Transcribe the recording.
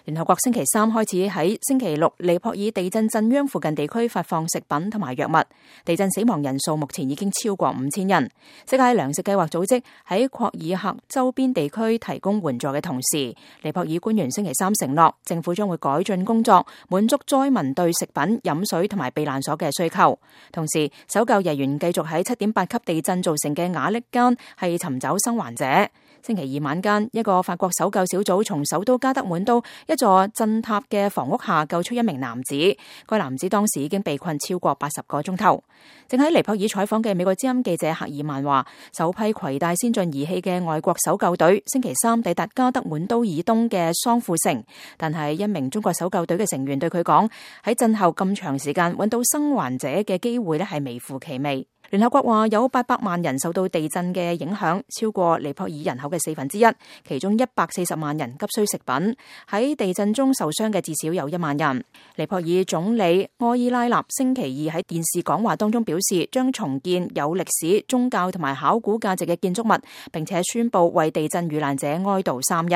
聯合國星期三開始喺星期六尼泊爾地震震央附近地區發放食品同埋藥物，地震死亡人數目前已經超過5000人。世界糧食計劃組織喺霍爾克周邊地區提供援助嘅同時，尼泊爾官員星期三承諾，政府將會改進工作，滿足災民對食品、飲水同埋避難所嘅需求。同時，搜救人員繼續喺7.8級地震造成嘅瓦礫間係尋找生還者。星期二晚間，一個法國搜救小組從首都加德滿都一座震塌嘅房屋下救出一名男子，該男子當時已經被困超過80個鐘頭。正喺尼泊爾採訪嘅美國之音記者赫爾曼話，首批攜帶先進儀器嘅外國搜救隊星期三抵達加德滿都以東嘅桑庫城，但係一名中國搜救隊嘅成員對佢講，喺震後咁長時間揾到生還者嘅機會係微乎其微。聯合國話有800萬人受到地震嘅影響，超過尼泊爾人口嘅1/4，其中140萬人急需食品。喺地震中受傷嘅至少有1萬人。尼泊爾總理埃伊拉納星期二喺電視講話當中表示，將重建有歷史、宗教同埋考古價值嘅建築物，並且宣布為地震遇難者哀悼3日。